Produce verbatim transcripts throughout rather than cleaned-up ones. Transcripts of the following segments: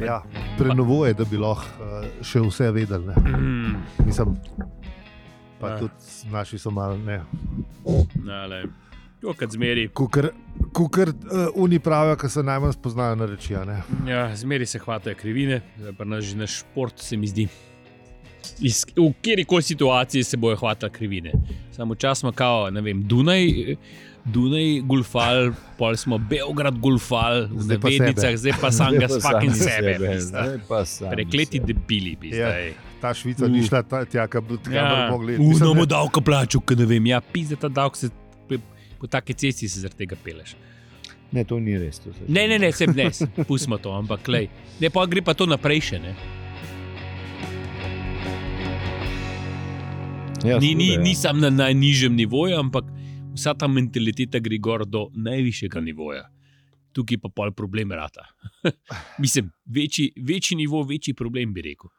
Ja, prenovuje, da bi lahko uh, še vse vedeli. Mm. Mislim, pa ja. Tudi naši so malo ne. Nale. Jo, kad zmeri. Kukar, kukar uh, oni pravijo, ki se najmanj spoznajo na reči. Ne? Ja, zmeri se hvatajo krivine, pa naš, naš šport se mi zdi. Iz, v kjerikoli situaciji se bojo hvatali krivine. Samo čas smo kao, ne vem, Dunaj, Dunaj golfal, pol smo Beograd golfal, v navednicah, zdaj pa sam ga spakim sebe. Prekleti debili bi zdaj. Ja, ta Švica ni šla tja, kaj bi ja, mogli. Unamo ne... davka plaču, kaj ne vem, ja, pizde ta davk se, po take cesti se zaradi tega peleš. Ne, to ni res. To ne, ne, ne, sem ne, pustimo to, ampak klej. Ne, pa gre pa to naprej še, ne. Ja, ni, ni, ja. ni sam na najnižjem nivoju, ampak vsa ta mentaliteta gre gor do najvišjega nivoja. Tukaj pa pol problem rata. Mislim, večji, večji nivo, večji problem bi rekel.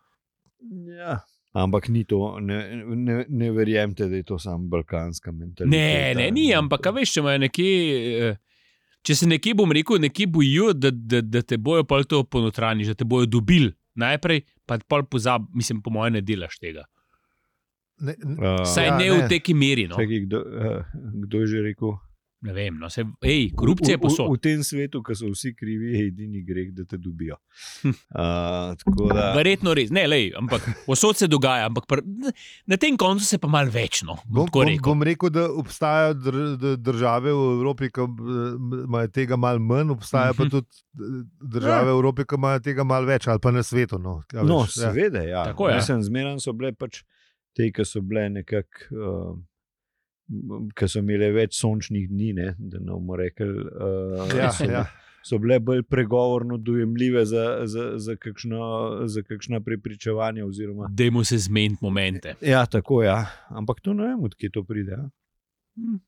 Ja, ampak ni to, ne, ne, ne verjemte, da je to samo balkanska mentaliteta. Ne, ne, ni, ampak a veš, če imajo nekje, če se nekje, bom rekel, nekje bojijo, da, da, da te bojo pol to ponotraniš, da te bojo dobili najprej, pa pol pozab, mislim, po moje ne delaš tega. Ne, ne, uh, Saj ja, ne, ne v teki meri. No. Čekaj, kdo, uh, kdo je že rekel? Ne vem, no, se, ej, korupcija je posod. V, v, v tem svetu, ko so vsi krivi, je edini greh, da te dobijo. Uh, da... Verjetno res, ne, lej, ampak posod se dogaja, ampak pr, na tem koncu se pa malo večno. Bom, bom, bom rekel, da obstajajo dr, države v Evropi, ki imajo tega malo manj, obstajajo pa tudi države v Evropi, ki imajo tega malo več, ali pa na svetu. No, ja, no veš, seveda, ja. Tako je. Mislim, zmeraj so bile pač te, ki so bile nekako, uh, ki so imele več sončnih dni, ne, da ne bomo rekli, uh, ja, so, ja. so bile bolj pregovorno dojemljive za, za, za, kakšno, za kakšna prepričevanja. Oziroma... Dajmo se zmeniti momente. Ja, tako ja. Ampak to ne vem, odkje to pride. Ja? Hmm.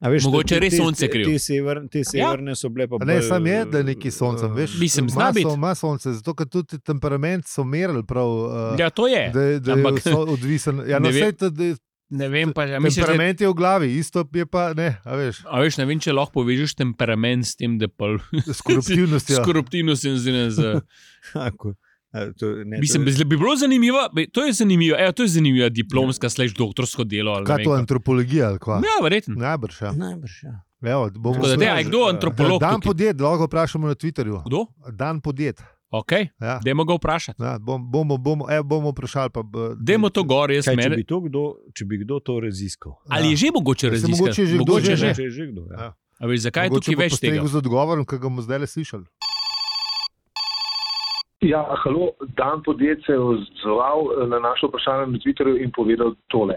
Veš, mogoče te, res sonce kriv. Te, te, sever, te severne ja. So bile pa bolj... Ne, sam je, da neki soncem, veš. Mislim, zna biti. Ima sonce, zato ker tudi temperament so merili prav. Uh, ja, to je. Da, da ampak, je odvisen. Ja, no, sej, da, ne vem pa... Ja, temperament misliš, je v glavi, isto je pa ne, a veš. A veš, ne vem, če lahko povežeš temperament s tem, da pa... S koruptivnostjo. S koruptivnostjo in z... Ako... To, ne, Mislim, to... bi bilo zanimivo, to je zanimivo, evo, to je zanimivo diplomska ja. Slash doktorsko delo. Kaj to, antropologija ali kva? Ja, verjetno. Najbrž, ja. Najbrž, ja. Evo, bomo da, da, kdo antropolog? Dan podjet, lahko vprašamo na Twitterju. Kdo? Dan podjet. Ok, ja. Dajmo ga vprašati. Ja, bom, bomo, bomo, evo, bomo vprašali. Pa, Dajmo to gor, jaz kaj, mene... če, bi to kdo, če bi kdo to raziskal. Ali ja. je že mogoče raziskati? Mogoče že mogoče kdo že. že. že kdo, ja. Ja. A veš, zakaj je tukaj več tega? Mogoče bo postregel z odgovorom, ki ga bomo zdaj le slišali. Ja, halo, Dan podjet se je odzval na naše vprašanje na Twitterju in povedal tole.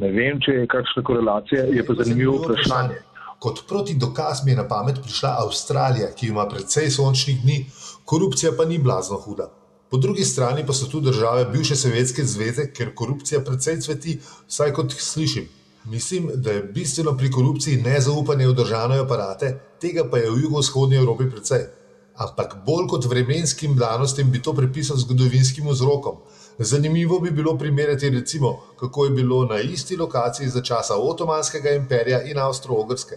Ne vem, če je kakšna korelacija, je pa zanimivo vprašanje. Kot proti dokaz mi je na pamet prišla Avstralija, ki ima precej sončnih dni, korupcija pa ni blazno huda. Po drugi strani pa so tu države bivše Sovjetske zveze, ker korupcija precej cveti, vsaj kot slišim. Mislim, da je bistveno pri korupciji nezaupanje v državne aparate, tega pa je v jugovzhodni Evropi precej. Ampak bolj kot vremenskim danostem bi to pripisal zgodovinskim vzrokom. Zanimivo bi bilo primerjati recimo, kako je bilo na isti lokaciji za časa Otomanskega imperija in Avstro-Ogrske.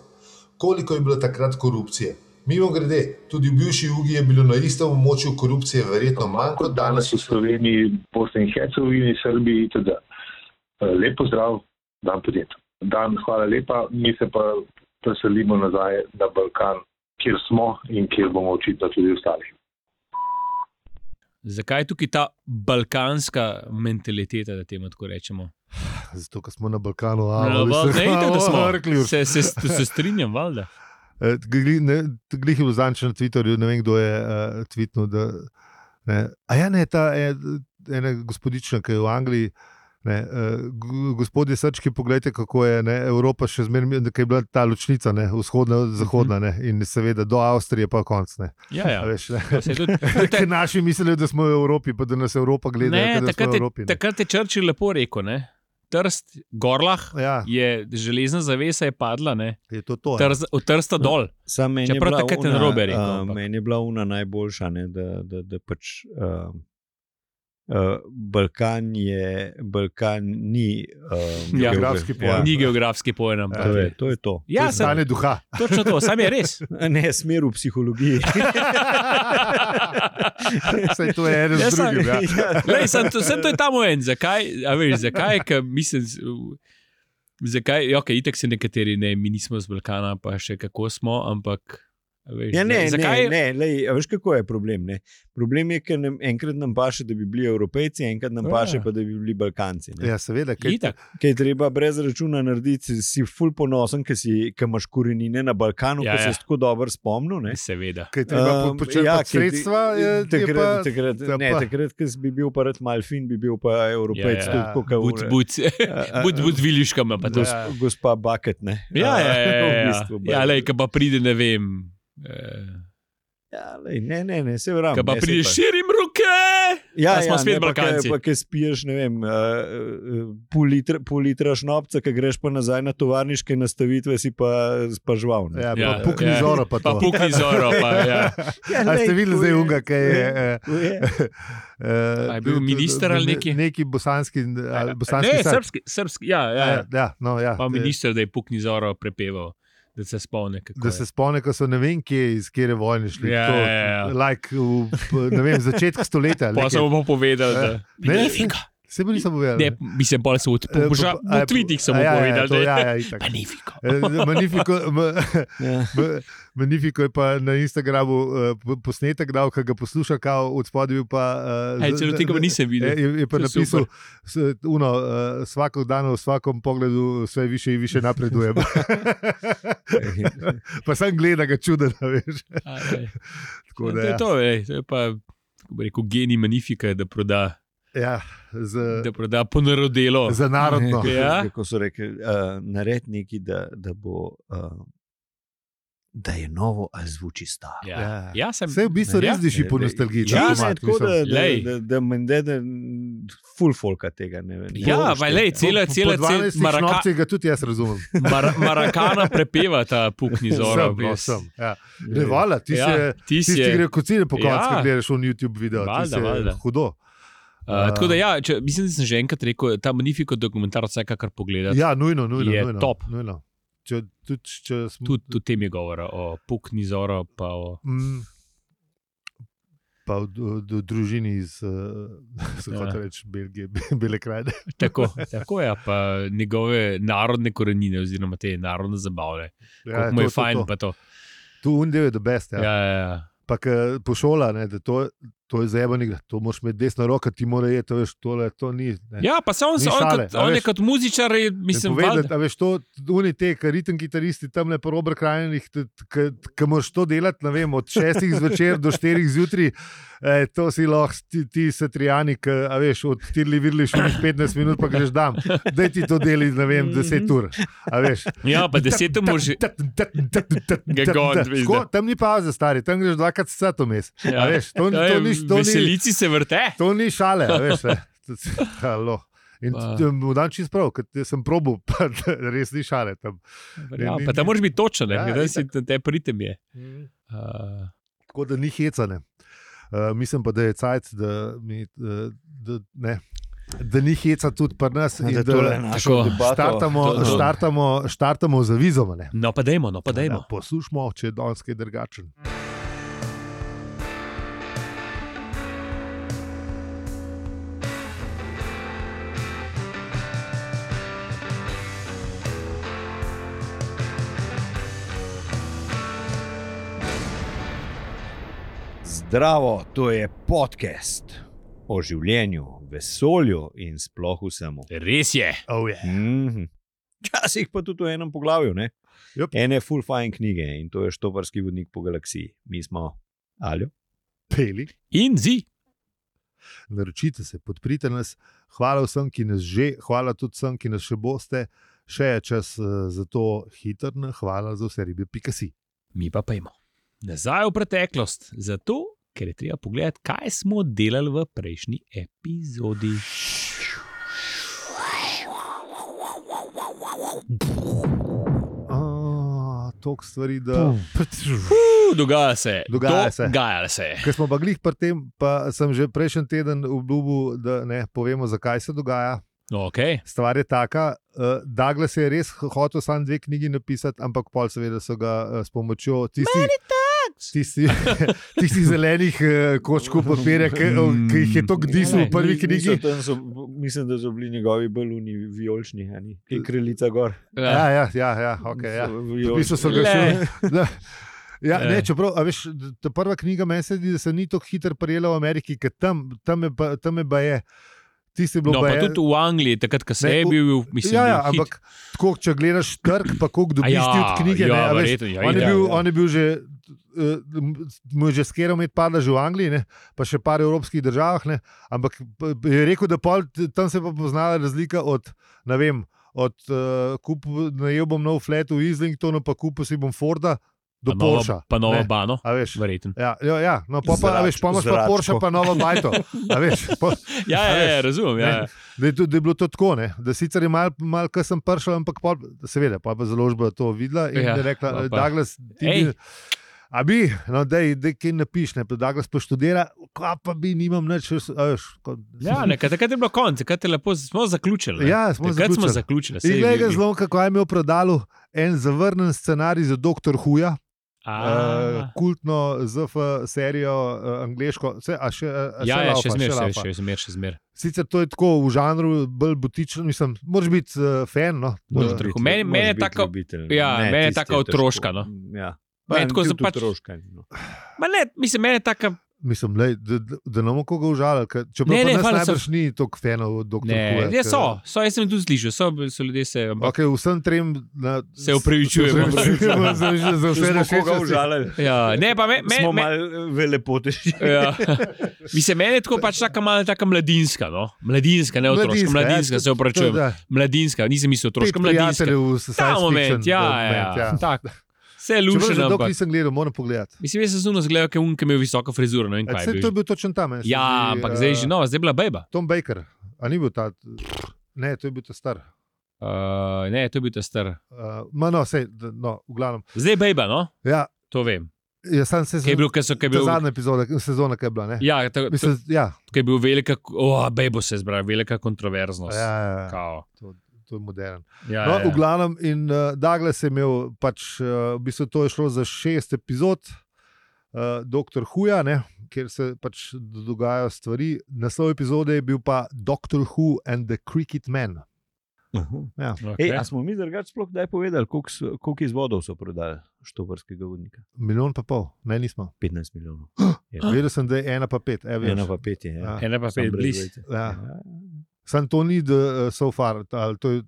Koliko je bilo takrat korupcije? Mimo grede, tudi v bivši Jugi je bilo na istem območju korupcije verjetno manj kot danes v Sloveniji, Bosni in Hercegovini, Srbiji itd. Lep pozdrav, Dan podjet. Dan, hvala lepa, mi se pa preselimo nazaj na Balkan, kjer smo in kjer bomo očitno tudi ostali. Zakaj je tukaj ta balkanska mentaliteta, da temu tako rečemo? Zato, ker smo na Balkanu. A, no, val, ne, ne, da smo. Rekli, se, se, se strinjam, valjda. Glih je vzanč na Twitterju, ne vem, kdo je uh, tweetnul. Da, ne. A ja, ne, ta je, ena gospodična, ki je v Angliji. Ne, uh, gospodje Srčki, pogledajte, kako je ne, Evropa še zmeraj, da je bila ta ločnica, ne, vzhodna, zahodna, ne, in seveda do Avstrije pa konc. Ne. Ja, ja. Veš, ne. Naši mislijo, da smo v Evropi, pa da nas Evropa gleda, ne, da smo v Evropi. Ne. Takrat je Churchill lepo rekel, ne. Trst, Gorlah, ja. Je železna zavesa je padla, ne. Je to to, Trz, od Trsta dol. No, meni, je una, uh, meni je bila una najboljša, ne, da, da, da pač... Uh, Uh, Balkan je, Balkan ni um, Ja, geografski pojem. Ni geografski pojem. To je to. Je to. Ja, To je stanje duha. točno to, sam je res. Ne, smer v psihologiji. Saj to je eno Ja, z sam- drugim. Ja. Lej, sem, to, sem to je ta moment. Zakaj? A veš, zakaj? Ker mislim, zakaj? Ja, okay, itek se nekateri, ne, mi nismo z Balkana, pa še kako smo, ampak. Veš, Ja, ne, zakaj? ne, ne lej, a veš, kako je problem? Ne? Problem je, ker nam enkrat nam paše, da bi bili Evropejci, enkrat nam Ja. paše, pa da bi bili Balkanci. Ne? Ja, seveda. Kaj, Itak. Kaj je treba brez računa narediti, si ful ponosen, ker imaš korenine na Balkanu, Ja, ja, ja. ki se tako dobro spomnil. Ne? Seveda. kaj treba Um, počrpati ja, ja, sredstva, je, je takrat, pa, takrat, ta ne, pa- takrat, ko bi bil pa rad malfin, bi bil pa Evropejc. Ja, ja. Tako, kot Bud, bud, bud, bud z viljuškama. Pa to. Gos, Ja. gospa Bucket. Ne? Ja, ja, ja. V ja, bistvu, ja. ja lej, ka pa pride, ne vem. Eh, ja, lej, ne, ne, ne, se vrame. ka pa pride, širim roke. Ja, A smo ja, spet ne, pa ke- Balkanci. Pa, ki spiješ, ne vem, uh, uh, pol, litra, pol litra šnopca, ki greš pa nazaj na tovarniške nastavitve, si pa, pa žval. Ne? Ja, pa Ja, pukni ja. zoro pa Pa to. pukni zoro. Pa, ja. A ste videli zdaj unga, kaj je? eh, To je. eh, A je bil minister ali neki? Neki bosanski, ali bosanski Ne, srp. srpski, srpski, ja, ja. Ja, ja, no, ja. Pa Eh, minister, da je pukni zoro prepeval, da se spomne. Da se spomne, ko so ne vem, kje iz kere vojne šli. Ja, to, ja, ja. Like v, p- ne vem, začetku stoletja. Pa nekaj. sem mu povedal, da Ne, Magnifico. Se mi nisem povedal. Ne, mislim, bolj se v Eh, poža- pa- a, v tweetih sem mu ja, ja, povedal, to, da ja, je ja, itak. Magnifico. Eh, Magnifico, ma- Ja. ma- Magnifico je pa na Instagramu uh, posnetek dal, ki ga posluša, kao od spodaj bil pa. Uh, Hej, celo tega pa nisem videl. Je, je pa To je napisal, s, uno, uh, vsako dan v vsakem pogledu vse više in više napredujem. Pa sem gledal, ga čuden, veš. A, ej. Tako To da, je ja. to, ej, to je pa, kako bi rekel, genij Magnifica, da proda, Ja, z, da proda ponarodelo. za narodno. Ja. Kako so rekli, uh, naredi nekaj, da, da bo. Uh, Da je novo, ali zvuči staro. Ja, Ja. ja sem. Vse v bistvu res diši po nostalgiji. Ja, če ne, mat, tako mislim. da, da, Lej. da, da mende, da full folka tega ne vem. Ja, Ne pa lej, bo cela, Po- cela, po cela, dvanajstih maraka, šnopcih ga tudi jaz razumem. mar, Marakana prepeva ta pukni zoro. Sem, no, res. sem, ja. šlo. Ne, vala, ti Ja, se, ti tisti, si ki je- gre kocine po koncu, Ja. ja. gledaš v YouTube video. Valjda, ti se valjda. hudo. Uh, tako da, ja, če, mislim, da sem že enkrat rekel, ta Magnifico dokumentar, vsekakor pogledati. Ja, nujno, nujno. Je nujno, top. Nujno. Če, tudi, če smo, Tudi o tem je govora, o pukni zoro, pa o. Mm, pa v, v, v družini iz, uh, se Ja. hoče reči, Belgije, Bele krajine. Tako, tako je, pa njegove narodne korenine, oziroma te narodne zabave. Ja, mu je to, fajn, to, to. pa to. Tu undel je the best. Ja. Ja, ja, ja. Pa ke pošola, ne, da to, to je zajebano, to moraš imeti desno roko, ti mora je to, veš, tole, to ni. Ne. Ja, pa se on, Ni se on, šale, kot, a on je veš. kot muzičar, je, mislim, Povedati, valjda. a veš, to, oni te, kar ritem kitaristi tam na Robert Krajnih, ki moraš to delati, ne vem, od šestih zvečer do štirih zjutraj, eh, to si lahko ti, ti satrijani, ki, a veš, od tirli virli še petnajst minut, pa greš dam. Daj ti to deli, ne vem, deset ur, a veš. Ja, pa deset može. Ga gon, veš, Tako, da. tam ni pauze, stari, tam greš dvakrat sat vmes. Ja. A veš, to, ni- to, ni, to, ni, Veselici se vrte. to ni šale, a veš. ne. Halo. In Pa- t- mu dam čist prav, ker sem probil, pa res ni šale tam. Ja, ni- pa tam moraš biti točen, Ja, da si itak. te pritem je. Uh, Tako da ni hecane. Uh, mislim pa, da je cajt, da, mi, uh, da, ne, da ni heca tudi pri nas. in Da Da, tole našo tako, debato- štartamo, to- to- štartamo, štartamo za vizom. Ne. no, pa dajmo, no, pa dajmo. Ja, poslušamo, če je danes kaj drugačen. Zdravo, to je podcast o življenju, vesolju in sploh vsemu. Res je. Oh, yeah. Mhm. Včasih pa tudi v enem poglavju. Ne? Yep. Ene full fine knjige in to je Štoparski vodnik po galaksiji. Mi smo Aljo. Peli, In zi. naročite se, podprite nas. Hvala vsem, ki nas že, hvala tudi vsem, ki nas še boste. Še je čas uh, za to hitro, hvala za vse ribe, pika si. Mi pa pojmo. Nazaj v preteklost, zato ker je treba pogledati, kaj smo delali v prejšnji epizodi. A, toliko stvari, da Uh, dogaja se. Dogaja se. Dogaja se. Ker smo pa glih pri tem, pa sem že prejšnji teden obljubil, da ne povemo, zakaj se dogaja. Okay. Stvar je taka, uh, Douglas je res hotel samo dve knjigi napisati, ampak pol seveda so ga uh, s pomočjo tistih tisti, tisti zelenih uh, koščkov papirja, ki, Mm. ki jih je to gdisal v prvi knjigi. Niso, tam so, mislim, da so bili njegovi baluni vijolični, a ni? Kaj kraljica gor. Ja, ja, ja, ja, okay, ja. So V vijolični. bistvu so ga Le. šli. Da. Ja, Le. ne, čeprav, a veš, ta prva knjiga meni se zdi, da se ni tako hitro prijela v Ameriki, ker tam, tam, je, pa- tam je baje. Tisti je bilo No, pa baje. tudi v Angliji, takrat, ko se Ne, je v- bil, mislim, Ja, ja, bil hit. ampak tako, če gledaš trg, pa koliko dobiš A ja, ti od knjige. ja, ne, a veš, verjetno, ja, on, je itak, bil, ja. on je bil že, uh, mu je že skero med pada že v Angliji, ne, pa še par evropskih državah, ne, ampak p- je rekel, da pol, tam se je pa poznala razlika od, ne vem, od uh, kupu, najel bom nov flat v Islingtonu, pa kupil si bom Forda do Pa nova- Porsche. Pa nova ne. bano, A veš, verjetno. ja, ja, ja, no, pa, pa, a veš, pa imaš pa Zračko. Porsche, pa novo bajto. A veš, po, Ja, A ja, ja, veš, razumem. Ja. ne. Da je, to, da je bilo to tako, ne? Da sicer je malo, mal, kar sem prišel, ampak pol, seveda, pa je založba to videla in Ja, je rekla, pa pa. Douglas, ti Ej. bi, a bi, no, dej, dej kaj napiš, ne, pa Douglas pa študira, kva pa bi, nimam nič, a veš. Ko, Ja, nekaj, takrat je bilo konc, takrat je lepo, smo zaključili. ne. Ja, smo takrat smo zaključili. zaključili. In glej ga zlom, kako je imel prodalu en zavrnen scenarij za doktor Huja, uh, kultno Z F serijo, uh, angleško, vse, a še, a Ja, še ja, laufa, še zmer, še, laufa. še zmer, še zmer. Sicer to je tako v žanru, bolj butično, mislim, moraš biti uh, fan. No? Doktor Who. Meni- meni je tako- ja, meni je taka otroška, no. Ja. Meni Pa, tako tudi za pač- otroška, no. Ma ne, mislim, meni je taka. Mislim, lej, da, da, da ne bomo koga užalili. ker- Čeprav Ne, ne, ne, ne, hvala, najbrž ni toliko fanov od doktor Ne, Whoja, ja, ker- so, so, jaz sem tudi slišal, so, so ljudje se. Ampak, Okay, vsem trem na, Se opravičujemo. se opravičujemo za, za, za Če vse smo naše koga užalili. ja, ne, pa me, me, Smo me, malo velepoteži. ja. Mislim, meni je tako pač taka malo taka mladinska, no? Mladinska, ne otroška, mladinska, se opravičujem. Mladinska, nisem mislil otroška, mladinska. Ta moment, ja, ja, ja. Tak. Vse je Če lušeno, že dolgo ampak. nisem gledal, moram pogledati. Mislim, jaz sem zuno zgledal, ker unke imel visoko frizuro, ne vem kaj. Vse je to je bil. bil točen tam. meni se Ja, zdi, ampak eh, zdaj je že nova, zdaj je bila bejba. Tom Baker, a ni bil ta. Ne, to je bil ta star. Uh, ne, to je bil ta star. Uh, ma no, sej, d- no, v glavnem. Zdaj je bejba, no? Ja, To vem. jaz sem se Kaj je bil, kaj so, kaj je Ta bil. zadnja epizoda, sezona, ki je bila. Ne? Ja, ta, ta, Mislim, ja, kaj je bil velika, oh, bejbo se je zbral, velika kontroverznost. ja, ja, ja. Kao. To je modern. Ja, No, ja, v glavnem, in uh, Douglas je imel, pač, uh, v bistvu to je šlo za šest epizod, uh, doktor Whoja, ne, kjer se pač dogajajo stvari. Naslov epizode je bil pa Doctor Who and the Cricket Man. Ja. Okay. Ej, a smo mi drugače sploh kdaj povedali, koliko, so- koliko izvodov so prodali štoparskega vodnika? Milijon pa pol, ne, nismo. petnajst milijonov. Vedel sem, da je ena pa pet. E, Ena pa pet je. Ja. Ja. Ena pa Samo pet brez bliz. dvojce. Ja. Ja. Sam to ni the, uh, so far, ali to je,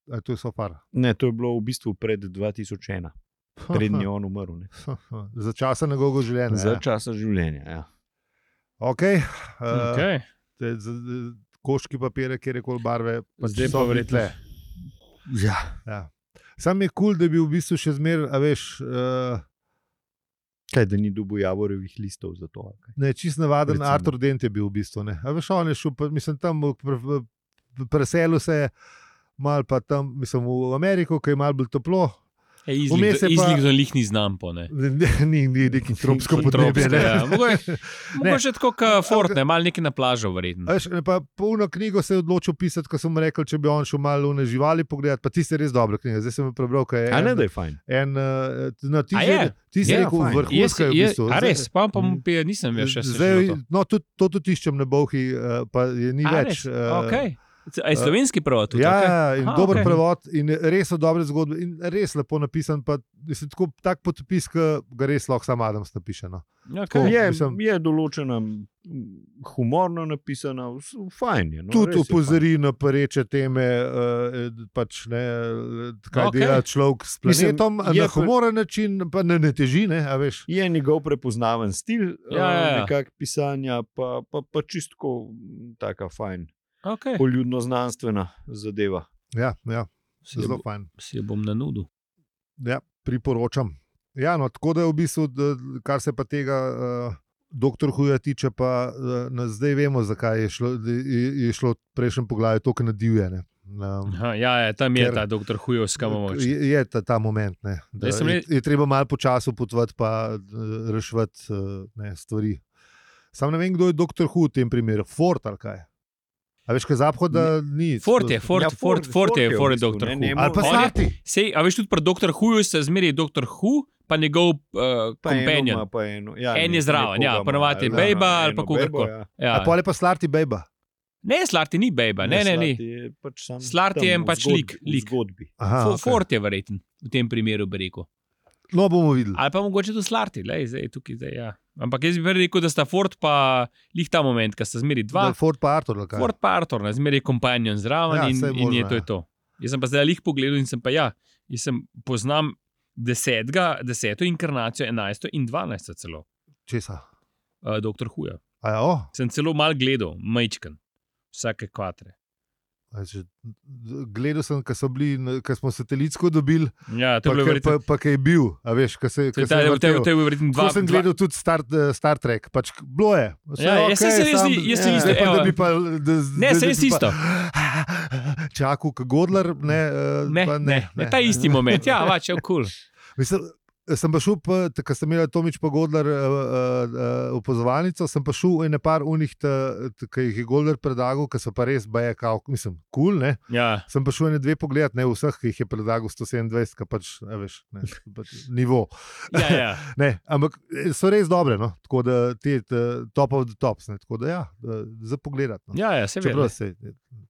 ali to je so far. Ne, to je bilo v bistvu pred dva tisoč ena, prednji on umrl. Ne. Za časa njegovega življenja. Za ja. časa življenja. Ja. Okay. Uh, Okay. te, z, z, koški papire, kjer je koli barve, Pa zdaj so pa verjetno- tle. Ja. Ja. Sam je kul, cool, da bi v bistvu še zmeraj, a veš, uh, Kaj, da ni dobil javorevih listov za to? ali kaj? ne, čist navaden Recimo. Artur Dent je bil v bistvu. Ne. A veš, on je šel, pa, mislim, tam v- v- v- preselil se je, mal pa tam, mislim, v Ameriko, ki je malo bolj toplo. Vmes je pa- Izlikno lih ni znam po ne. Ni, ni neki tropsko podnebje. Tropsko, ne. ja. Mogoče mogoče tako kot Fort, ne, malo nekaj na plažo A verjetno. Veš, ne, pa polno knjigo se je odločil pisati, ko sem mu rekel, če bi on šel malo v živali pogledati, pa tiste res dobre knjige. Zdaj sem jo prebral, kaj je. A ne, en- da je fajn. En, uh, no, ti A si, je? ti si Ja, rekel fajn. vrhunska je v bistvu. A Zdaj- res, pa pa mu pije, nisem več še Zdaj, slišal. no, tudi, to tudi iščem na Bolhi, uh, pa je ni A več. res? uh, Okay. A je slovenski prevod tudi? Ja, okej? ja, in Aha, dober okej. prevod, in res so dobre zgodbe, in res lepo napisan. Pa, mislim, tako, tak podpis, ki ga res lahko sam Adams napiše. No. Okay. Je, mislim- je določena, m, humorno napisana, vs- fajn je. No, Tudi res je opozori na pereče teme, uh, pač, ne, kaj Okej. okay. dela človek s Mislim, planetom, je na pa- humoren način, pa ne, ne teži. Ne, a veš. fajn. Je njegov prepoznaven stil, Ja, ja, ja. nekak pisanja, pa, pa, pa čistko taka fajn, Okay. poljudno znanstvena zadeva. Ja, ja, Si jo zelo bo- fajn. Si jo bom nanudil. Ja, priporočam. Ja, no, tako da je v bistvu, da, kar se pa tega uh, doktor Whoja tiče, pa uh, nas zdaj vemo, zakaj je šlo, da je, je šlo prejšnjem poglavju tako na divje. Ne. Um, Aha, ja, ja, tam je Ker- ta doktor Hujovska moč. je, je ta, ta moment, ne, da Zdaj sem je, le- je treba malo počasi potovati, pa uh, reševati uh, ne, stvari. Sam ne vem, kdo je doktor Hu v tem primeru, Ford ali kaj. A veš, kaj zahoda ni. Fort je, Fort, Ja, Fort, Ford- Fort je, Ford je v Fort je bistvu, doktor ne, Hu. njemu- Ali pa On je- Slati. Sej, a veš, tudi pri doktor Huju se zmeri doktor Hu, pa njegov uh, Pa eno companion. ima, pa eno. Ja, En ne- je zraven, nekoga ja, ima, ponavadi je ja, bejba ali eno pa kogarkoli. bejbo, ja. Ja. A pole pa Slarti Bejba. Ne, Slarti ni bejba, ne, ne, ni. Slati je pač sam Slati tam je en v pač zgodbi- lik- v lik. zgodbi. Aha, Fo- okay. Fort je verjeten v tem primeru, bi rekel. No, bomo videli. Ali pa mogoče tudi Slarti, lej, zdaj tukaj, zdaj, ja. Ampak jaz bi prej rekel, da sta Ford pa lih ta moment, ko sta zmeri Da dva, je Ford pa Arthur. ali kaj? Ford pa Arthur, ne, zmeri companion zraven Ja, in, saj in je možno, to je ja. to. Jaz sem pa zdaj lih pogledal in sem pa ja, jaz sem poznam desetega, deseto inkarnacijo, enajsto in dvanajsto celo, Česa? uh, doktor Huja. A ja, oh, Sem celo mal gledal, majčken, vsake kvatre. a že, gledal sem, ko so bili, ko smo satelitsko dobili, Ja, to pa, je bilo ke- verjetno. pa, pa kaj je bil, a veš, ko se, To ko je se ta- je to je- vrtel. to je bil verjetno dva. Ko sem dva- gledal tudi Star, eh, Star Trek, pač bilo je. Vse Ja, je jaz sem se res sam- ni- jaz sem ja, isto, zdaj pa, evo. da bi pa, da, Ne, da saj bi res pa- isto. Čakal, kot Godler, ne, eh, Ne, pa ne, ne, ta isti moment. Ja, vač, je kul. Mislim, sem pa šel, pa, ko sem imel Tomič pa Godler uh, uh, opozovalnico, sem pa šel v ene par unih, ki jih je Godler predlagal, ki so pa res, baje, kao, mislim, kul, cool, ne. Ja, Sem pa šel ene dve pogledat, ne vseh, ki jih je predlagal sto sedemindvajset, ki pač, a veš, ne, pač nivo. ja, ja. Ne, ampak so res dobre, no, tako da te te top of the tops, ne, tako da ja, da- za pogledat. No. Ja, ja, se ve. Čeprav se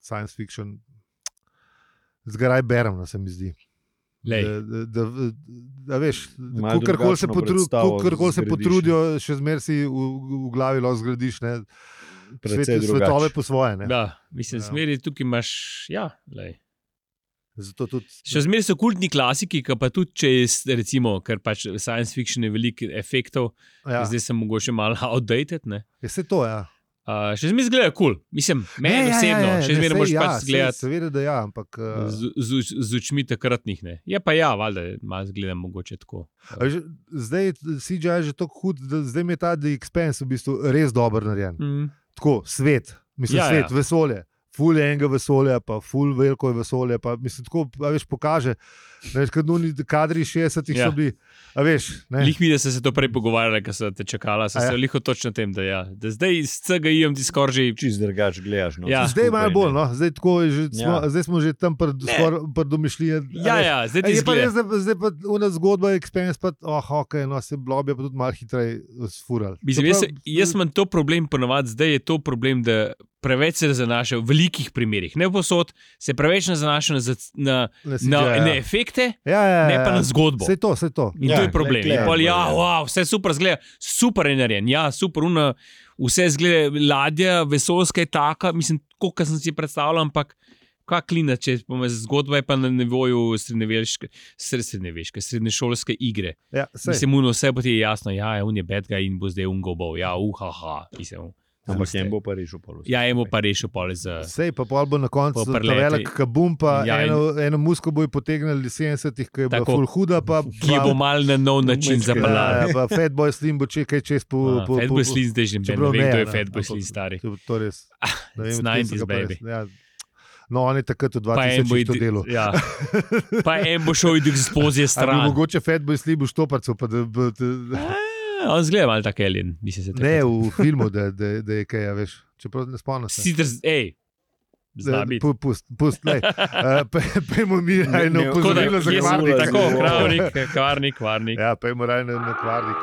science fiction zgaraj berem, no, se mi zdi. Lej. Da, da, da, da veš, Malo kakorkoli se, drugačno potru, predstavo kakorkoli se zgradiš. potrudijo, še zmeraj si v, v glavi lahko zgradiš, ne, Precej svet, drugače. svetove po svoje. Ne. Da, mislim, Ja. smeri tukaj imaš, ja, lej. Zato tudi, Še zmeraj so kultni klasiki, ki pa tudi če je, recimo, ker pač science fiction je veliko efektov, ja, zdaj sem mogoče malo outdated, ne. je vse to, ja. Uh, še zmeraj zgleda kul, cool. Mislim, meni Ne, ja, osebno, ja, ja, še ne, zmeraj sej moraš ja, pač sej gledati Seveda, da ja, ampak uh, z, z, z očmi takratnih, ne. Je pa ja, valjda, malo zgledam mogoče tako. a že, zdaj C G I je že tako hud, da zdaj mi je ta The Expanse v bistvu res dober narejen. Mm. Tako, svet, mislim, Ja, ja, svet, ja. ja. vesolje. Ful je enega vesolja, pa ful veliko je vesolje. Pa, mislim, tako, a veš, pokaže. Veš, kad oni kadri šestdesetih Ja. so bili, a veš. Ne, Lih mi, da so se to prej pogovarjali, ko so te čakala, so A se ja. liho točno tem, da ja. Da zdaj s C G I-jem ti skoraj že. Čist drugače gledaš. No, Ja. vse zdaj skupaj, malo bolj, ne. no. zdaj, tako je že, smo, Ja. zdaj smo že tam pred domišljijo. Ja, ja, zdaj ti Je pa res, zgleda. da zdaj pa una zgodba, Expense, pa oh, ok, no, se blobi pa tudi malo hitreje sfural. Mislim, jaz, jaz imam to problem, ponovadi zdaj je to problem, da preveč se zanaša v velikih primerih, ne posod, se preveč ne zanaša na, zac- na, na, na, ja. na efekte, ja, ja, ja, ne pa na zgodbo. Vse to, vse to. In Ja, to je problem. glej, In pol, glej, ja, glej. wow, vse super zgleda, super je narejen, ja, super, una, vse zgleda, ladja, vesoljska je taka, mislim, kot sem si predstavljal, ampak kva klina, če pomeni, zgodba je pa na nivoju srednjeveške, srednjeveške, srednješolske igre. Ja, sej. Mislim, uno, vse pa ti je jasno, ja, je un je bad guy in bo zdaj un gobov, ja, uhaha, mislim. Ampak puste. jem bo pa rešil polo. Ja, emo pa rešil pole za... Sej pa pol bo na koncu Po ta preleti. velik kabum, pa Ja, ja, in- eno, eno musko bojo potegnili sedemdesetih, ki je bila Tako. ful huda, pa, Ki je bo mal na nov način Majčkeno. zapeljal. ja, pa Fatboy Slim bo čekaj čez po... Ah, po, po, Fatboy Slim zdaj že ne čeprav vem, kdo je ne, Fatboy ampak Slim stari. To, to res. Ne It's vem, od kje so nineties, ga pa res- baby. Ja. No, on je takrat v Pa en bo dva tisoč to id- delo. ja. Pa en bo šel id ekspozije Ali bi stran. mogoče Fatboy Slim v štoparcu, pa da... da, da Ah, On zgleda malo tak alien, mislim se. ne, v filmu, da, da, da je kaj, a veš. Čeprav ne spomnim se. Sicer, ej, zna biti. Pu- Pust, pust, lej. Uh, pe- Pejmo mi Ne, eno ne, Tako da, upozorilo za jaz sem kvarnik. tako, kravnik, kvarnik, kvarnik. Ja, pejmo raje na, na kvarnik.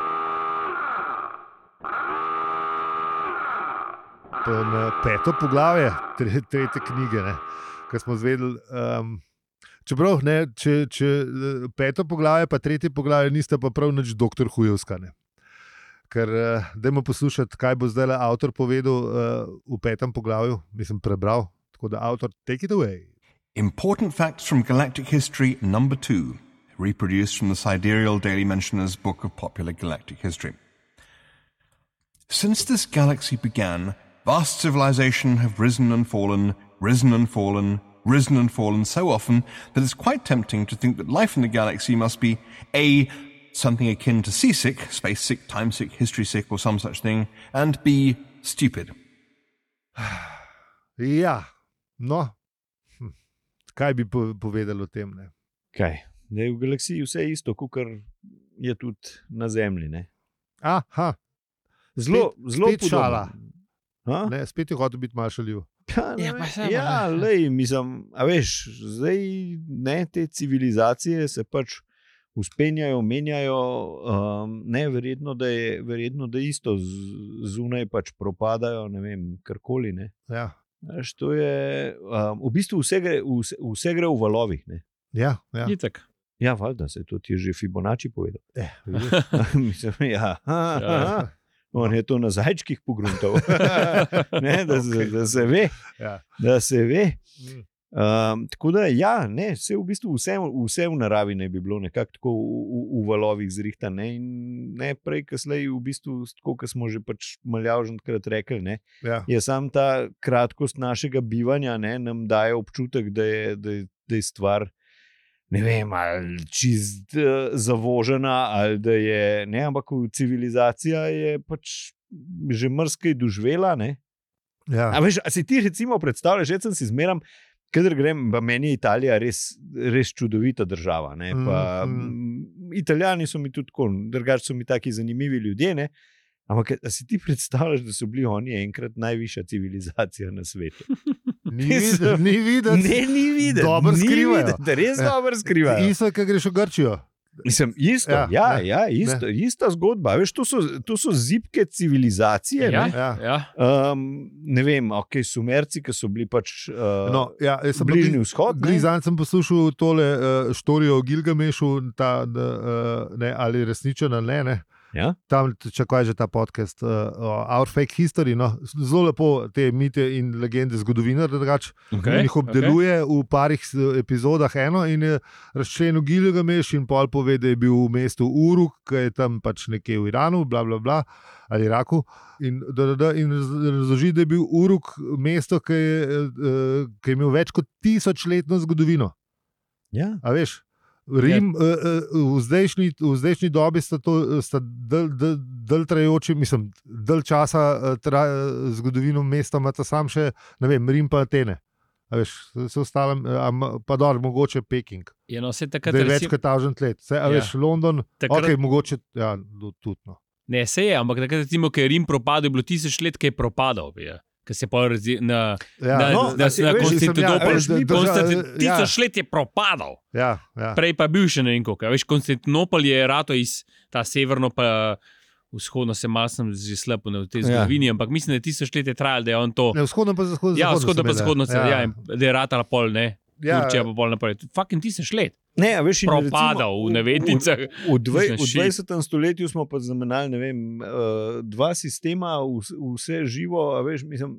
Pa na peto poglavje, tre, tretje knjige, ne, ki smo zvedeli. Um, čeprav, ne, če, če eh, peto poglavje, pa tretje poglavje nista pa prav nič doktor Hujovska. Ne. Ker, uh, dajmo poslušati, kaj bo zdaj avtor povedal uh, v petem poglavju, mislim, prebral. Tako da, avtor, take it away. Important Facts from Galactic History number two, reproduced from the Sidereal Daily Mentioner's Book of Popular Galactic History. Since this galaxy began, vast civilization have risen and fallen, risen and fallen, risen and fallen so often that it's quite tempting to think that life in the galaxy must be A, something akin to seasick, space sick, time sick, history sick, or some such thing, and B, stupid. Ja, no, hm. kaj bi povedali o tem? Ne? Kaj? Da je v galaksiji vse isto, kot je tudi na Zemlji. Ne? Aha, Zelo, zelo spet šala. Ne, spet je hotel biti malo šaljiv. Ja, Ja, pa samo, ja ne. lej, mislim, a veš, zdaj ne, te civilizacije se pač uspenjajo, menjajo, um, ne, verjetno, da je, verjetno, da isto z- zunaj pač propadajo, ne vem, karkoli. Ne. Ja, Veš, to je, um, v bistvu vse gre, vse, vse gre v valovih. Ne. ja, ja. Itak. Ja, valjda, se to ti je že Fibonacci povedal. Eh, vidiš. Mislim, ja. Ha, ha, Ja. ha. On je to na zajčkih pogruntal. Ne, da, se, Okay. da se ve. Ja. Da se ve. Mm. Um, tako da, ja, ne, vse v bistvu vse, vse v naravi ne bi bilo nekako tako v, v, v valovih zrihtano. Ne, in ne prej, kasneje, v bistvu, tako kot smo že pač maljavženkrat rekli, ne, Ja. je sam ta kratkost našega bivanja, ne, nam daje občutek, da je, da je, da je stvar. Ne vem, ali čist uh, zavožena, ali da je, ne, ampak civilizacija je pač že mrzkej doživela. Ne. Ja. A veš, a si ti recimo predstavljaš, že sem si zmeram, kadar grem, pa meni je Italija res, res čudovita država. Ne, pa, Mm, mm. Italijani so mi tudi tako, drugače so mi taki zanimivi ljudje. Ne. Ampak a si ti predstavljaš, da so bili oni enkrat najvišja civilizacija na svetu? Ni videti, ni videti. Ne, ni videti. Dobro ni skrivajo. videti, res Ja. dobro skrivajo. Isto, kaj greš v Grčijo. Mislim, isto, Ja, ja, ne, ja, isto, ista zgodba. Veš, to, so, to so zibke civilizacije. Ja, Ne, Ja. ja. um, ne vem, ok, Sumerci, ki so bili pač uh, No, ja, jaz sem Bližnji vzhod. ne. Glizan sem poslušal tole uh, štorijo o Gilgamešu, ta, uh, ne, ali resničen ali ne. ne. Ja? Tam, če kaj že ta podcast, uh, Our Fake History, no, zelo lepo te mite in legende zgodovinar, drugače Okay, in jih obdeluje okay. v parih s- epizodah eno in je razčlenil Gilgameš in pol pove, da je bil v mestu Uruk, ki je tam pač nekje v Iranu, bla, bla, bla, ali Iraku. In, da, da, da, in raz- razloži, da je bil Uruk mesto, ki je, uh, ki je imel več kot tisočletno zgodovino. Ja. A veš? Rim, ja. uh, v, zdajšnji, v zdajšnji dobi sta to sta del, del, del trajajoči, mislim, del časa uh, tra, uh, zgodovino mesta, ima ta sam še, ne vem, Rim pa Atene. A veš, se ostalo, pa dobro, mogoče Peking. Je no, vse Da takrat je več recimo- kot tisoč let. Se, a Ja. veš, London, Takrat- ok, mogoče, ja, do- tudi. No. Ne, se je, ampak takrat, recimo, ko je Rim propadel, je bilo tisoč let, ki je propadal. Ker se pa razi, na, Ja, na, no, na, a si- na veš, Konstantinopol. mislim, ja, veš, Konstantin- drža- Tisoč ja. let je propadal, ja, ja. prej pa je bil še ne vem koliko. Veš, Konstantinopol je rato iz ta severno, pa vzhodno, se malo sem že slabo v tej Ja. zgodovini, ampak mislim, da je tisoč let je trajalo, da je on to. Ne, vzhodno pa zahodno. Ja, vzhodno pa zahodno, ja. Ja, in da je ratala pol, ne. Ja. Turčija pa pol naprej. Fucking tisoč let. Ne, a veš, in Propadal, recimo v navednicah. V, v, dve, Mislim, v shit. dvajsetem stoletju smo pa zamenjali ne vem, uh, dva sistema, vse, vse živo, a veš, mislim,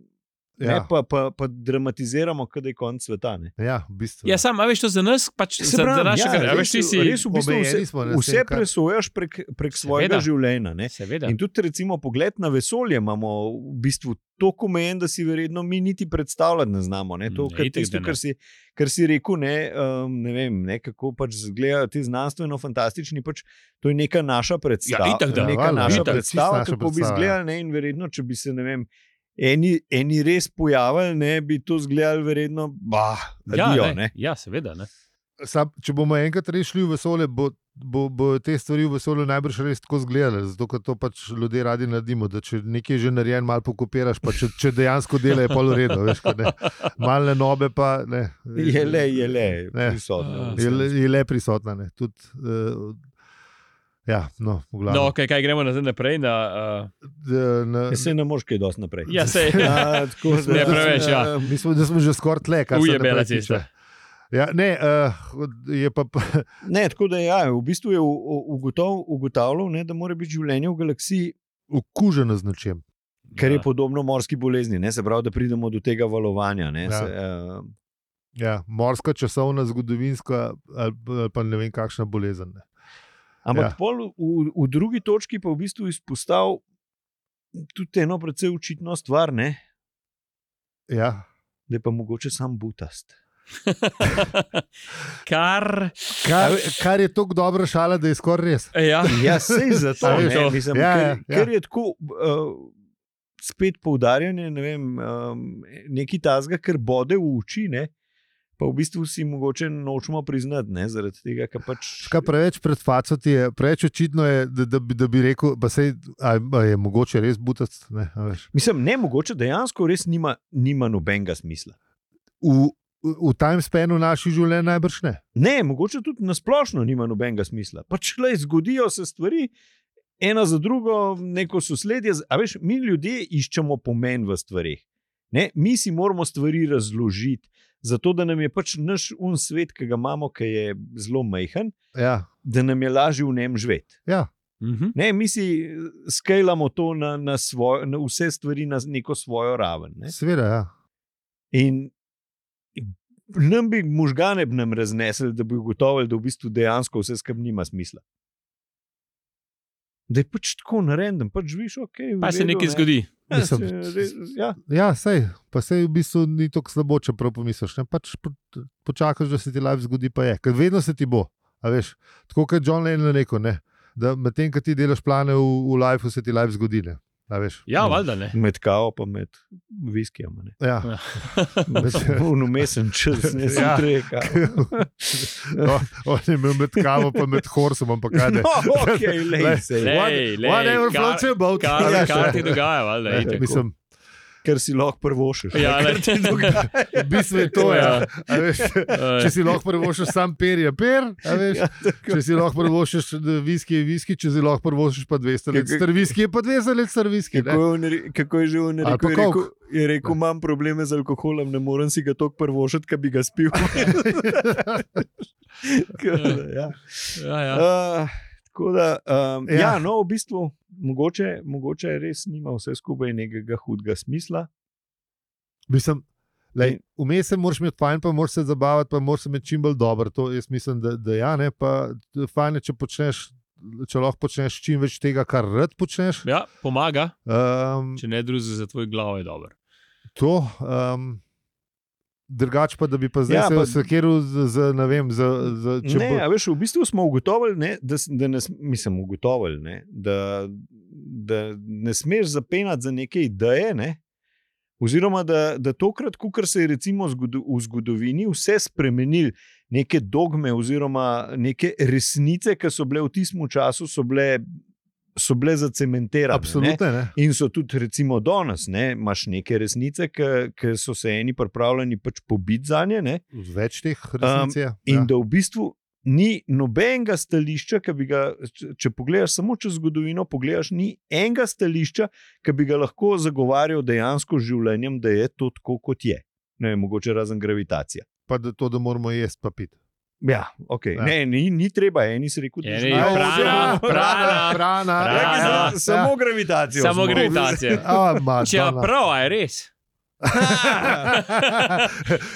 Ja. ne, pa, pa, pa dramatiziramo, kada je konc sveta. Ne. Ja, v bistvu. Ja, sam, a veš, to za nas, pač Se za, pravim, za našega, ja, a veš, ti res, si. res v bistvu omejeni vse, smo, ne, s vse tem, kar- presojaš prek, prek svojega Seveda. življenja. Ne. Seveda. In tudi, recimo, pogled na vesolje imamo v bistvu tako omejen, da si verjetno mi niti predstavljati ne znamo. Ne. To, Ne, kar, itak, tisto, da ne. kar, si, kar si rekel, ne, um, ne vem, ne, kako pač izgledajo ti znanstveno-fantastični. Pač, to je neka naša predstava. Ja, itak, da. neka Valjda, naša itak, predstava, čisto naša kako bi predstava, izgledali. Ne, in verjetno, če bi se ne vem. Eni, eni res pojavili, ne bi to izgledali, verjetno, bah, Ja, adijo, ne. ne. Ja, seveda. Ne. Sam, če bomo enkrat rešili v vesolje, bo, bo, bo te stvari v vesolju najbrž res tako izgledale, zato ker to pač ljudje radi naredimo. Da če nekaj že narejen, malo pokopiraš, pa če, če dejansko dela, je pol v redu. Veš, kaj, ne. Malne nobe pa ne. Je le, je le, Ne. prisotno. Je le, je le prisotna. Ne. Tud, uh, ja, no, v glavnem. No, okay, kaj gremo nazaj naprej? Na, uh, D- na, Ja, se ne moreš kaj dosti naprej. ja, se je. Ja, tako da- Ne, preveč, ja. eh, mi smo, da smo že skoraj tle, kar se Ujebela naprej tiče. cesta. Ja, ne, uh, je pa, Ne, tako da ja, v bistvu je u- u- ugotov, ugotavljal, ne, da mora biti življenje v galaksiji, okuženo z nečem. kar je Ja. podobno morski bolezni. Ne, se pravi, da pridemo do tega valovanja. Ne, Ja. se, uh, Ja, morska, časovna, zgodovinska ali, ali pa ne vem, kakšna bolezen. Ne. ampak Ja. ja. pol v, v drugi točki pa v bistvu izpostavil tudi eno precej očitno stvar, ne, Ja. da je pa mogoče sam butast. Kar. Kar, kar je tako dobra šala, da je skoraj res. Ja. Ja, sej zato, A veš, ne, to. mislim, Ja, ker, ja, ja. ker je tako uh, spet poudarjanje, ne vem, um, nekaj tazga, kar bode v oči, ne, pa v bistvu si mogoče nočemo priznati, ne, zaradi tega, ker pač. Ška preveč pred faco ti je, preveč očitno je, da, da, bi, da bi rekel, pa sej, a, a je mogoče res butac, ne, a veš. Mislim, ne, mogoče dejansko res nima, nima nobenega smisla. V, v time spanu naših življenj najbrž ne. Ne, mogoče tudi nasplošno nima nobenega smisla. Pač le zgodijo se stvari, ena za drugo, neko sosledje. A veš, mi ljudje iščemo pomen v stvarih. Ne? Mi si moramo stvari razložiti, zato da nam je pač naš un svet, ki ga imamo, ki je zelo majhen, Ja, da nam je lažje v njem živeti. ja. Mhm. Ne, mi si skalamo to na, na, svoj, na vse stvari na neko svojo raven. Ne? Seveda, ja. In nam bi možgane bi nam raznesli, da bi ugotovili, da v bistvu dejansko vse skupaj nima smisla. Da je pač tako narejen, pač živiš, ok. Pa se nekaj zgodi. Ja, Mislim, se, res, ja. Ja, sej, pa sej v bistvu ni tako slabo, čeprav pomisliš. Ne? Pač po, počakaš, da se ti life zgodi, pa je. Ker vedno se ti bo. A veš, tako kot je John Lennon rekel, ne? Da medtem, ko ti delaš plane v, v lifeu, se ti life zgodi. Ne? A veš. Ja, valjda ne. Med kavo pa med viskijem. Ja. Vnumesen čas, ne sem Ja. treka. No, on je imel med kavo, pa med horsom, ampak kaj ne. No, ok, lej se. Lej, What- lej, whatever kar- floats your boat. Kar, Ja, kar še. ti dogaja, valjda. Ja, itak. Mislim, Ker si lahko prvošiš. Ja, Kar ne. ti dogaja. v bistvu je to, ja. A veš, če si lahko prvošiš sam per, je per, a veš. Ja, tako. Če si lahko prvošiš viski, je viski, če si lahko prvošiš pa dvesto let Kako- star viski, je pa dvesto let star viski. Kako je, on, re- kako je že on Ali pa rekel? Je rekel, coke. je rekel imam probleme z alkoholom, ne morem si ga toliko prvošiti, da bi ga spil. ja. Ja, ja. Uh, tako da, um, ja. Ja. ja, no, v bistvu, mogoče, mogoče res nima vse skupaj nekega hudega smisla. Mislim, lej, vmes se moraš imeti fajn, pa moraš se zabavati, pa moraš se imeti čim bolj dober. To jaz mislim, da, da ja, ne, pa fajn je, če počneš, če lahko počneš čim več tega, kar rad počneš. Ja, pomaga, Um, če ne druzi za tvoj glav je dobro. to, um, drugače pa, da bi pa zdaj Ja, ja, se pa- sekiral z, z, ne vem, z, z, če Ne, bo, a veš, v bistvu smo ugotovili, ne, da, s- da ne, s- mislim, ugotovili, ne, da, da ne smeš zapenati za neke ideje. Ne, oziroma, da, da tokrat, ko se je recimo zgodo, v zgodovini vse spremenil, neke dogme oziroma neke resnice, ki so bile v tistem času, so bile, so bile zacementirane. Ne. absolutno ne. In so tudi, recimo, danes, ne, imaš neke resnice, ki so se eni pripravljeni pač pobiti za nje. Ne, Več teh resnic je. In ja. da v bistvu ni nobenega stališča, ki bi ga, če, če pogledaš samo čez zgodovino, pogledaš, ni enega stališča, ki bi ga lahko zagovarjal dejansko z življenjem, da je to tako, kot je. Ne vem, mogoče razen gravitacija. Pa da to, da moramo jesti pa piti. Ja, okay. Ja. Ne, ni, ni treba, eni si rekel, da Eni, že prana, prana, prana. prana. Samo gravitacijo. Samo smo. gravitacija. A, ma, Če je prav, a je res.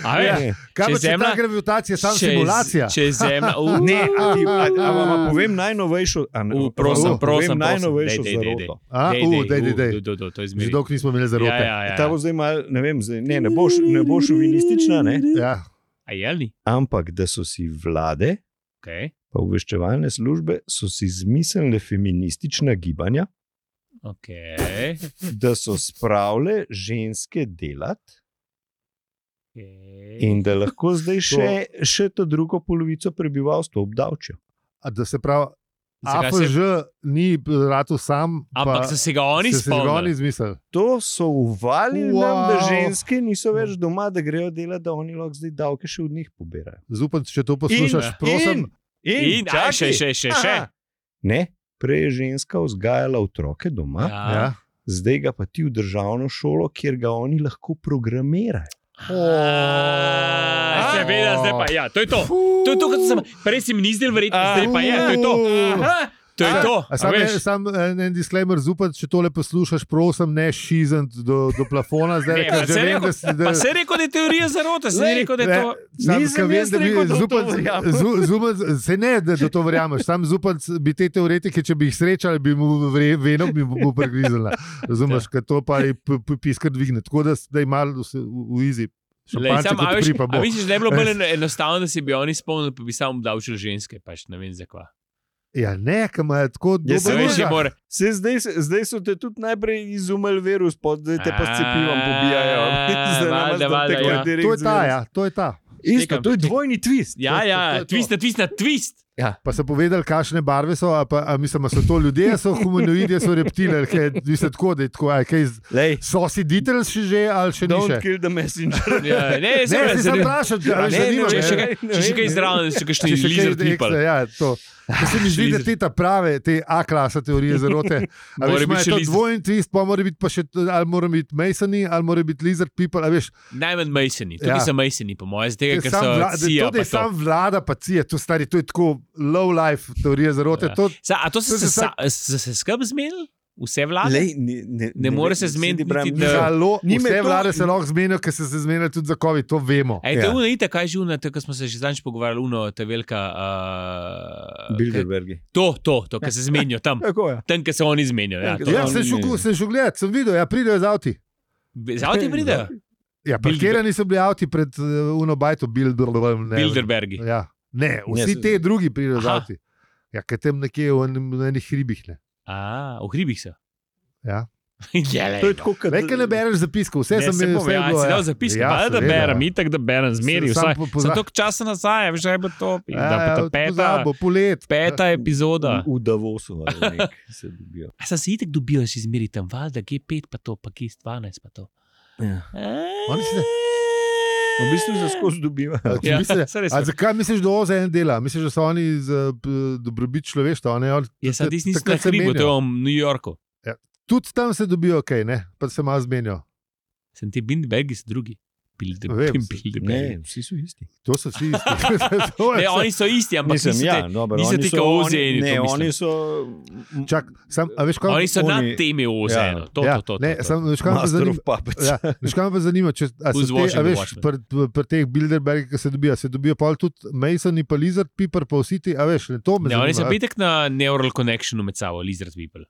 A veš, Ne, Kaj Če pa če Zemlja- ta gravitacija, samo če je z- simulacija? Če je zemlja. Uh, ne, a ti- a- a vam povem najnovejšo, a ne, Uh, a prosim, vam povem prosim, prosim. najnovejšo Dej, dej, dej, zaroto. A, dej, u, dej, dej, dej, uh, dej. do, do, do, to je Že zmeri. dolgo nismo imeli zarote. Ja, ja, ja. Ta bo zdaj mal, ne vem, zdaj, ne, ne bo, š- ne bo šovinistična, ne? Ja. A je li? Ampak da so si vlade, Okay. pa obveščevalne službe, so si izmislile feministična gibanja, Okay. da so spravile ženske delati Okay. in da lahko zdaj še, še to drugo polovico prebivalstva obdavčijo. A da se pravi, Zakaj A F Ž ni rado sam, Ampak pa so se ga oni so si ga oni spomnili. izmislili. To so uvalili wow. nam, da Wow. ženske niso več doma, da grejo delati, da oni lahko zdaj davke še od njih pobirajo. Zupan, če to poslušaš, In- prosim. in, In, aj, čakaj. še, še, še, še. Aha. Ne, prej je ženska vzgajala otroke doma, ja. Ja. Ja. zdaj ga pa ti v državno šolo, kjer ga oni lahko programirajo. A, Seveda, zdaj pa ja, to je to. To je to, kot sem prej si mi ni zdel verjetno, zdaj pa je, to je to. Aha, to je to. A a Sam, veš. en, sam en, en disclaimer, zupan, če tole poslušaš, prosim, ne šizant do, do plafona. Zdaj, Ne, ker pa že saj vem, rekel- da si- da- Pa se je rekel, da je teorija zarote, se je rekel, da je to. Sam, Nisem ka vem, jaz da bi rekel, da v to Zupanc- verjamem. Zu- Zupanc- Se ne, da, da to verjameš. Sam Zupanc bi te teoretike, če bi jih srečali, bi mu vre- veno bi mu pregrizala. Razumeš, ker to pa je p- p- piskar dvigne. Tako da zdaj malo vse v v izi. Lej, Šampanjce sam, a, kot veš, pri pa bo. a misliš, da je bilo bolj eno- enostavno, da si bi oni spomnili, pa bi samo obdavčili ženske, pač ne vem zakva. Ja, ne, kam je tako Ja, dobro. saj Veš, je možga. more. Se, zdaj, zdaj so te tudi najprej izumili virus, zdaj te pa s cepivom pobijajo. A, Zdaj nam valjda, zdaj valjda, tako ja. direkt To je ta, z ja, to je ta. Isto, to je dvojni twist. Ja, To- ja, to je to. twist na twist na twist. Ja. Pa so povedali, kakšne barve so, a, pa, a mislim, a so to ljudje, so humanoidi, so reptili, kaj je tako, da je tako, a, kaj, Lej, so si Beatles še že ali še ni don't še? kill the messenger. Ja, ne, Ne, se se sem vprašal, če Ne, me ne, zanima. ne, Če še ne. kaj, če še kaj zraven, če kakšni Če še kaj lizard people. ekstra, ja, to. To se mi zdi, da te ta prave, te A-klasa teorije zarote. A Mora veš, biti ima še to lizard. dvojni twist, pa mora biti pa še, ali mora biti Masoni, ali mora biti lizard people, a veš. Najmanj Masoni, tukaj Ja. so Masoni, po mojem, To je ker sam so vla- da- cija. To, da je sam vlada, pa cija, to, stari, to je tako low life teorija zarote. Ja. To, Sa, a to so To se, se sa, se, se skrb zmenili? Vse vlade? Lej, ne, ne, Ne more se vem, zmeniti sedi bram, niti, ni- da- Halo, ni me vse to- vlade se lahko zmenijo, ker so se zmenili tudi za COVID, to vemo. Ej, to je Ja. uno, ite, kaj je že uno, to, ko smo se že zadnjič pogovarjali, uno, ta velika... Uh, Bilderbergi. to, to, to, kar se zmenijo tam. Tako je. Tam, kjer se oni zmenijo. Ja, Ja, to. Ja, sem šel, sem šel gledat, sem videl, ja, pridejo z avti. Z avti pridejo? Ja, parkirani so bili avti pred uh, uno bajto, Bilderberg. Bilderbergi. Ja. Ne, vsi Ne, te drugi pridejo z Aha. avti. Ja, ker tam nekje v enem- v enih hribih. Ne. A, v hribih so. Ja. Ja, To je tako, kot Nekaj ne bereš zapiskov, vse Ne, sem se imel, bom, vse je ja, bilo. si ja. dal zapis, Ja, ja, da seveda, berem, ja. itak da berem, zmeri Sam vsaj. po- Za pozna- toliko časa nazaj, veš, da je bilo to. Ja, Da pa ja, ta peta, pozabo, polet. peta epizoda. v Davosu ali nek se dobijo. A sem se itek dobil, še izmeri tam, valjda, G pet pa to, pa G dvanajst pa to. Ja. Oni se- V bistvu se skozi dobivajo. Ja, misliš, saj res. a zakaj misliš, da O Z N dela? Misliš, da so oni za p- dobrobit človeštva? Oni, oni, Jaz sem tisti, ki takrat na se hribu, to je menijo. v New Yorku. Tudi tam se dobijo, ok, ne? Pa se malo zmenijo. Sem ti Bilderbergi, so drugi. Bilde- Vem, Bilderbergi. Ne, vsi so isti. To so vsi isti. To je Ne, vse. oni so isti, ampak Mislim, niso ja, te- dobro, niso oni ti so- kao oni- ozeni, to Ne, mislim. oni so... Čak, sam, a veš, kaj, Oni so nad oni- temi ozeno. To, ja, to, to, ne, to, to. sam, veš, kaj me pa Master zanima? of Puppets. Ja, veš, kaj me pa zanima, če a Who's so te, a watching the veš, Watchmen? pri pri teh Bilderbergih, ki se dobijo, se dobijo pa tudi Masoni, pa Lizard People, pa vsi ti, a veš, ne, to me Ne, oni so zanima. petek na neural connectionu med sabo, lizard people.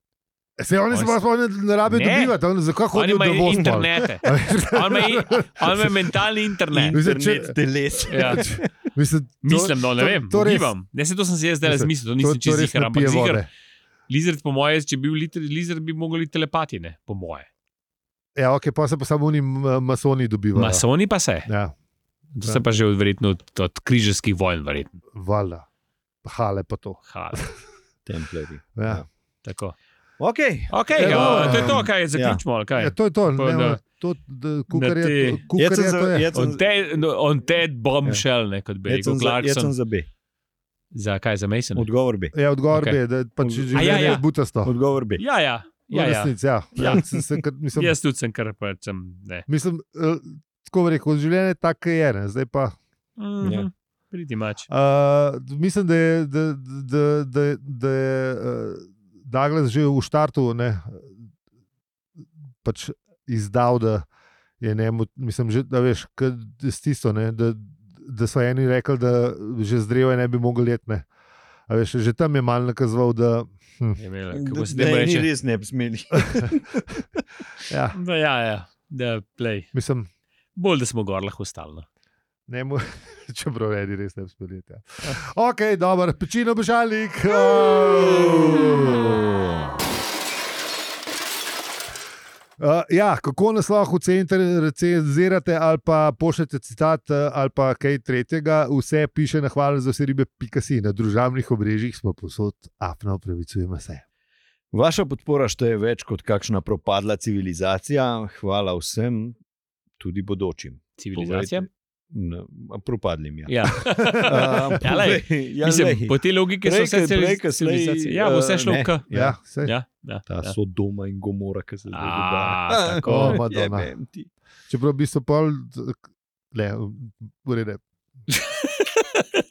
Se oni se oni pa so- sploh ne rabijo Ne. dobivati, oni zakaj Oni hodijo do imajo voz? internete. On ima, on ima mentalni internet. Mislim, če- Internet teles. Ja. Mislim, to- Mislim, no, ne to- vem, to res- ugibam. Ne, se to sem si jaz zdaj Mislim, razmislil, to to- nisem to čez res ziger, ne ampak pije ziger. vode. Lizard, po moje, če bi bil lit- lizard, bi mogli telepati, ne, po moje. Ja, ok, pa se pa samo oni m- masoni dobivajo. Masoni pa se. Ja, To se pa že od, verjetno od, od križarskih vojn, verjetno. valjda. Hale pa to. Ha, Templarji. Ja. tako. Ok. Okay, Ja, ja, dobro. to je to, kaj zaključimo. ali Kaj? Ja, to je to. Pa Ne, da- to, da, kukar na je, te- to- kukar Jaz sem je, za- to je. jaz sem- On Ted, no, on Ted bombshell, ne, kot bi jaz rekel sem za- Jaz sem Clarkson. za B. Za kaj, za Mason? Odgovor B. Ja, odgovor Ok. okay. bi, da pač A življenje ja, ja. je butasto. Odgovor B. Ja, ja. Ja, ja, ja. resnic, ja. Ja. ja. Sem, sem, kar- mislim, Jaz tudi sem kar pač sem, ne. mislim, eh, tako bi rekel, življenje je tako, kot je. Ne. Zdaj pa. Mhm. Ja. Pretty much. Uh, mislim, da je, da, da, da, da je uh, Douglas že v štartu ne, pač izdal, da je njemu, mislim, že, da veš, kad, s tisto, ne, da, da so eni rekli, da že zdrevo ne bi mogli jeti. Ne. A veš, že tam je mal nakazoval, da hm, Je imela, kako se Da temu ni reče? res ne bi smeli. ja, Da, ja, ja, da play. mislim, Bolj, da smo gor lahko ostali. No. ne mu, čeprav eni res ne bi smeli jeti. Ja. Ok, dobro, pečino bežalnik. Oh. Uh, ja, kako nas lahko ocenite, recenzirate ali pa pošljete citat uh, ali pa kaj tretjega, vse piše na hvala za vse ribe, pika si. Na družabnih obrežjih smo posod, apno upravičujemo se. Vaša podpora šteje več kot kakšna propadla civilizacija. Hvala vsem, tudi bodočim. Civilizacija? No, propadlim, ja. Ja. Uh, Ja, lej, ja, Mislim, lej. po tej logiki so Prej, vse ke- prej, ke slej, civilizacije. Ja, bo vse šlo eh, v K. ne. Ja, sej. Ja, ja, Ta ja. Sodoma in Gomora, ki se zdaj A, dogaja. tako. O, Madonna. Jebem ti. Čeprav bi so pol, ne, urede.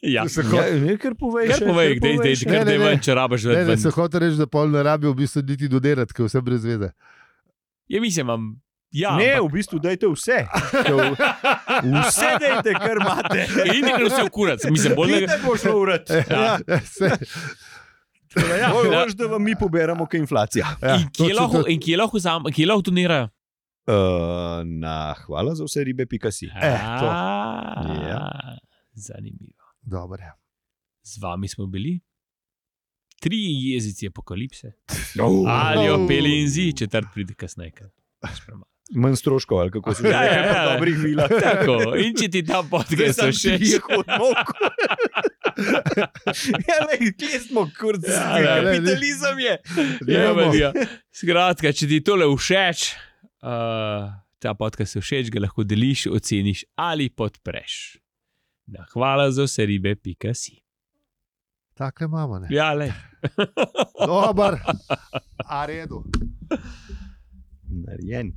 Ja. Se Ja, ho- ne, kar povej. Kar še, povej, kar dej, povej dej, še. Ne, kar ne, dej ne. ven, če rabaš Ne, več ne, se ven. hoče reči, da pol ne rabijo v bistvu niti dodelati, ker vse brez veze. Ja, mislim, imam. Ja, Ne, ampak- v bistvu dajte vse. Vse dajte, kar imate. In nekaj vse v kurac, mislim, bolj Bolj ne. ne bo šlo urat. Ja, se, Ja, Bolj ja. boš, da vam mi poberamo, kaj inflacija. ja, In kje točno lahko, to. in kje lahko, vzam- kje lahko donirajo? Uh, na hvala za vse ribe, pika si. Eh, to. Ja. Zanimivo. Dobre. Z vami smo bili. Tri jezici apokalipse. Oh. Ali opeli in zi, četrt pride kasneje. ker pač premalo. Manj stroškov, ali kako se že Ja, ja, reče, ja. po dobrih vilah. Tako, in če ti ta podcast všeč, Ja, lej, kje smo, kurc, Ja, ja, lej, kapitalizem je. ja, Imamo. ja. Skratka, če ti tole všeč, uh, ta podcast všeč, ga lahko deliš, oceniš ali podpreš. Na hvala za vse ribe, pika si. Takle imamo, ne. Ja, le. Dobar, a redu. Narejen.